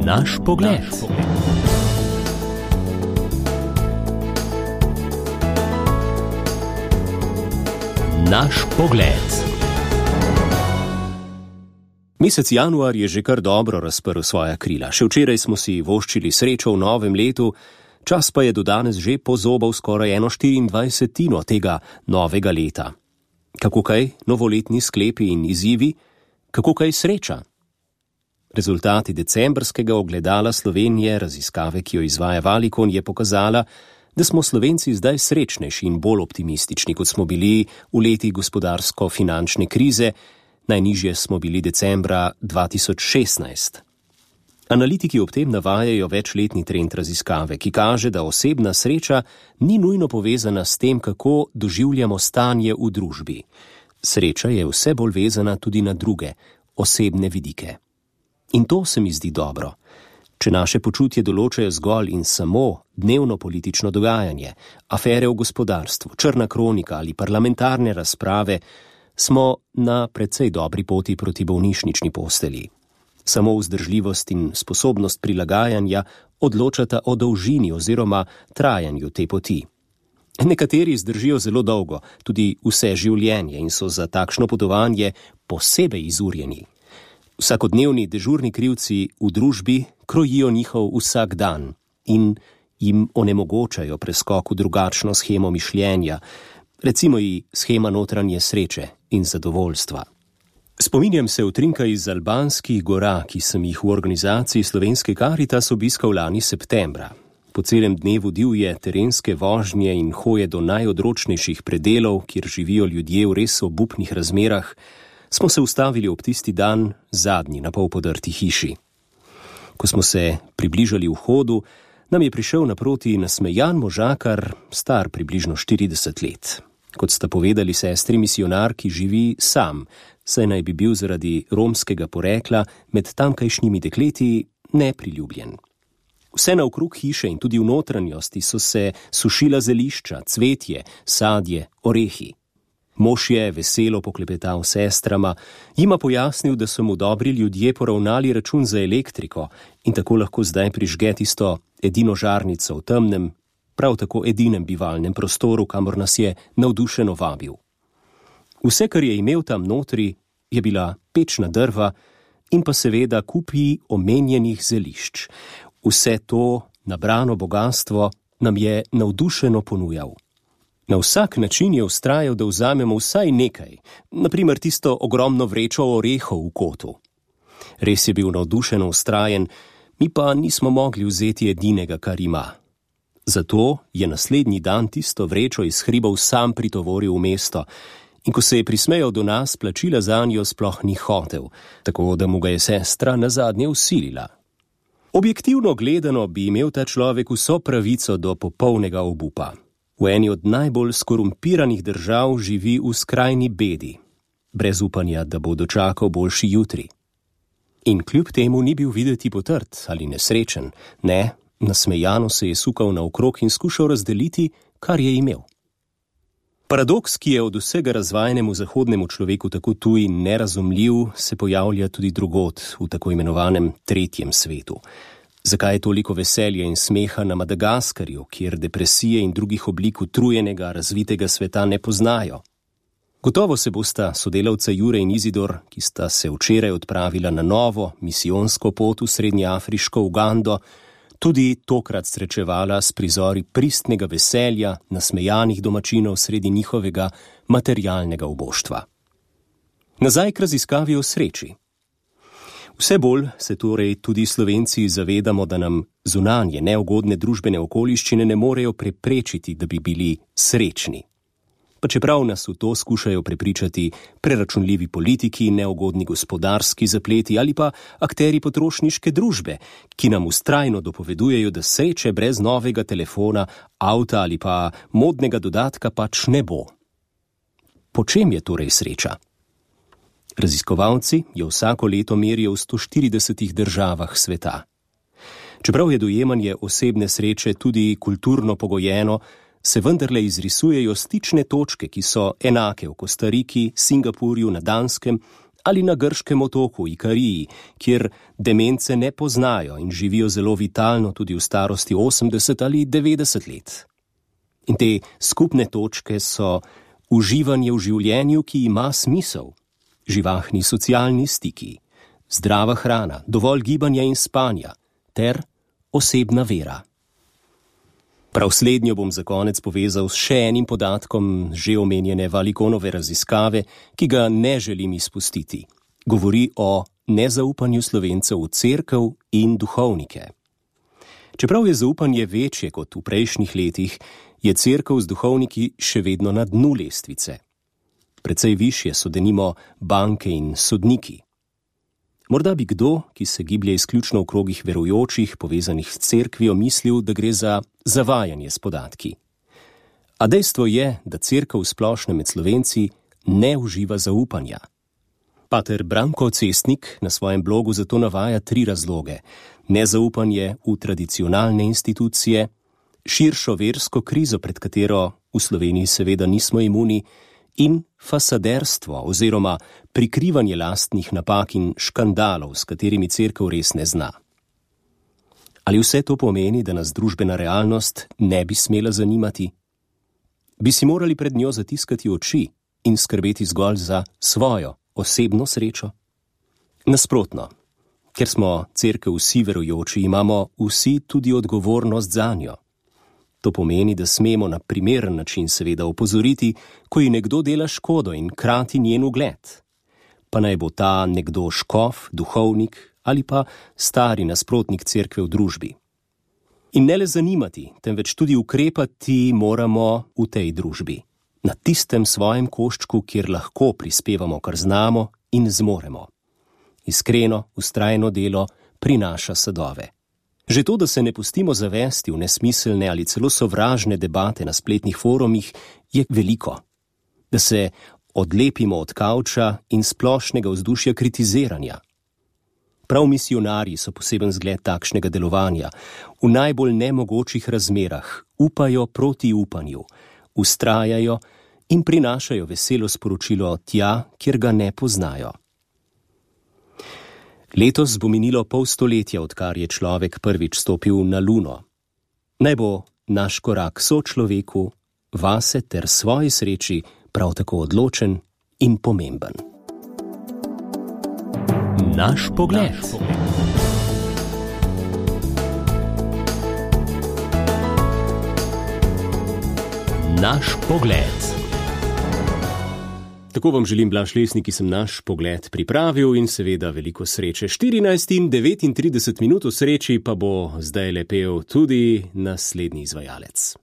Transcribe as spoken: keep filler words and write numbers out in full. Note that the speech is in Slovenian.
Naš pogled. Naš pogled. Mesec januar je že kar dobro razprl svoja krila. Še včeraj smo si voščili srečo v novem letu, čas pa je do danes že pozobal skoraj eno štiriindvajsetino tega novega leta. Kako kaj novoletni sklepi in izzivi? Kako kaj sreča? Rezultati decembrskega ogledala Slovenije, raziskave, ki jo izvaja Valicon, je pokazala, da smo Slovenci zdaj srečnejši in bolj optimistični, kot smo bili v letih gospodarsko-finančne krize, najnižje smo bili decembra dva tisoč šestnajst. Analitiki ob tem navajajo večletni trend raziskave, ki kaže, da osebna sreča ni nujno povezana s tem, kako doživljamo stanje v družbi. Sreča je vse bolj vezana tudi na druge, osebne vidike. In to se mi zdi dobro. Če naše počutje določajo zgolj in samo dnevno politično dogajanje, afere v gospodarstvu, črna kronika ali parlamentarne razprave, smo na precej dobri poti proti bolnišnični postelji. Samo vzdržljivost in sposobnost prilagajanja odločata o dolžini oziroma trajanju te poti. Nekateri zdržijo zelo dolgo, tudi vse življenje, in so za takšno potovanje posebej izurjeni. Vsakodnevni dežurni krivci v družbi krojijo njihov vsak dan in jim onemogočajo preskok v drugačno shemo mišljenja, recimo i shema notranje sreče in zadovoljstva. Spominjam se utrinka iz albanskih gora, ki sem jih v organizaciji Slovenske Karitas obiskal lani septembra. Po celem dnevu divje terenske vožnje in hoje do najodročnejših predelov, kjer živijo ljudje v res obupnih razmerah, smo se ustavili ob tisti dan zadnji na pol podrti hiši. Ko smo se približali vhodu, nam je prišel naproti nasmejan možakar, star približno štirideset let. Kot sta povedali sestri misionar, ki živi sam, saj naj bi bil zaradi romskega porekla med tamkajšnjimi dekleti nepriljubljen. Vse naokrog hiše in tudi v notranjosti so se sušila zelišča, cvetje, sadje, orehi. Mož je veselo poklepetal s sestrama, jima pojasnil, da so mu dobri ljudje poravnali račun za elektriko in tako lahko zdaj prižge tisto edino žarnico v temnem, prav tako edinem bivalnem prostoru, kamor nas je navdušeno vabil. Vse, kar je imel tam notri, je bila pečna drva in pa seveda kupi omenjenih zelišč. Vse to nabrano bogastvo nam je navdušeno ponujal. Na vsak način je vztrajal, da vzamemo vsaj nekaj, na primer tisto ogromno vrečo orehov v kotu. Res je bil navdušeno vztrajen, mi pa nismo mogli vzeti edinega, kar ima. Zato je naslednji dan tisto vrečo iz hribov sam pritovoril v mesto in ko se je prismejal do nas, plačila zanjo sploh ni hotel, tako da mu ga je sestra nazadnje vsilila. Objektivno gledano bi imel ta človek vso pravico do popolnega obupa. V eni od najbolj skorumpiranih držav živi v skrajni bedi, brez upanja, da bo dočakal boljši jutri. In kljub temu ni bil videti potrt ali nesrečen, ne, nasmejano se je sukal naokrog in skušal razdeliti, kar je imel. Paradoks, ki je od vsega razvajenemu zahodnemu človeku tako tuj in nerazumljiv, se pojavlja tudi drugod v tako imenovanem tretjem svetu. Zakaj je toliko veselja in smeha na Madagaskarju, kjer depresije in drugih oblik utrujenega, razvitega sveta ne poznajo? Gotovo se bosta sodelavca Jure in Izidor, ki sta se včeraj odpravila na novo misijonsko pot v srednjeafriško Ugando, tudi tokrat srečevala s prizori pristnega veselja nasmejanih domačinov sredi njihovega materialnega uboštva. Nazaj k raziskavi o sreči. Vse bolj se torej tudi Slovenci zavedamo, da nam zunanje neugodne družbene okoliščine ne morejo preprečiti, da bi bili srečni. Pa čeprav nas v to skušajo prepričati preračunljivi politiki, neugodni gospodarski zapleti ali pa akteri potrošniške družbe, ki nam vztrajno dopovedujejo, da sreče brez novega telefona, avta ali pa modnega dodatka pač ne bo. Po čem je torej sreča? Raziskovalci jo vsako leto merijo v sto štiridesetih državah sveta. Čeprav je dojemanje osebne sreče tudi kulturno pogojeno, se vendarle izrisujejo stične točke, ki so enake v Kostariki, Singapurju, na Danskem ali na grškem otoku Ikariji, kjer demence ne poznajo in živijo zelo vitalno tudi v starosti osemdeset ali devetdeset let. In te skupne točke so uživanje v življenju, ki ima smisel, živahni socialni stiki, zdrava hrana, dovolj gibanja in spanja ter osebna vera. Prav slednjo bom za konec povezal s še enim podatkom že omenjene Valikonove raziskave, ki ga ne želim izpustiti. Govori o nezaupanju Slovencev v cerkev in duhovnike. Čeprav je zaupanje večje kot v prejšnjih letih, je cerkev z duhovniki še vedno na dnu lestvice. Precej višje so denimo banke in sodniki. Morda bi kdo, ki se giblje izključno v krogih verujočih, povezanih s cerkvijo, mislil, da gre za zavajanje s podatki. A dejstvo je, da cerkev v splošnem med Slovenci ne uživa zaupanja. Pater Branko Cestnik na svojem blogu zato navaja tri razloge: nezaupanje v tradicionalne institucije, širšo versko krizo, pred katero v Sloveniji seveda nismo imuni, in fasaderstvo oziroma prikrivanje lastnih napak in škandalov, s katerimi cerkev res ne zna. Ali vse to pomeni, da nas družbena realnost ne bi smela zanimati? Bi si morali pred njo zatiskati oči in skrbeti zgolj za svojo osebno srečo? Nasprotno, ker smo cerkev vsi verujoči, imamo vsi tudi odgovornost zanjo. To pomeni, da smemo na primeren način seveda opozoriti, ko ji nekdo dela škodo in krati njen ugled. Pa naj bo ta nekdo škof, duhovnik ali pa stari nasprotnik cerkve v družbi. In ne le zanimati, temveč tudi ukrepati moramo v tej družbi, na tistem svojem koščku, kjer lahko prispevamo, kar znamo in zmoremo. Iskreno, vztrajno delo prinaša sadove. Že to, da se ne pustimo zavesti v nesmiselne ali celo sovražne debate na spletnih forumih, je veliko. Da se odlepimo od kavča in splošnega vzdušja kritiziranja. Prav misijonarji so poseben zgled takšnega delovanja. V najbolj nemogočih razmerah upajo proti upanju, vztrajajo in prinašajo veselo sporočilo tja, kjer ga ne poznajo. Letos bo minilo pol stoletja, odkar je človek prvič stopil na Luno. Naj bo naš korak sočloveku, vase ter svoji sreči prav tako odločen in pomemben. Naš pogled. Naš pogled. Tako vam želim, Blaž Lesnik, ki sem naš pogled pripravil, in seveda veliko sreče. štirinajst in devetintrideset minut v sreči pa bo zdaj lepel tudi naslednji izvajalec.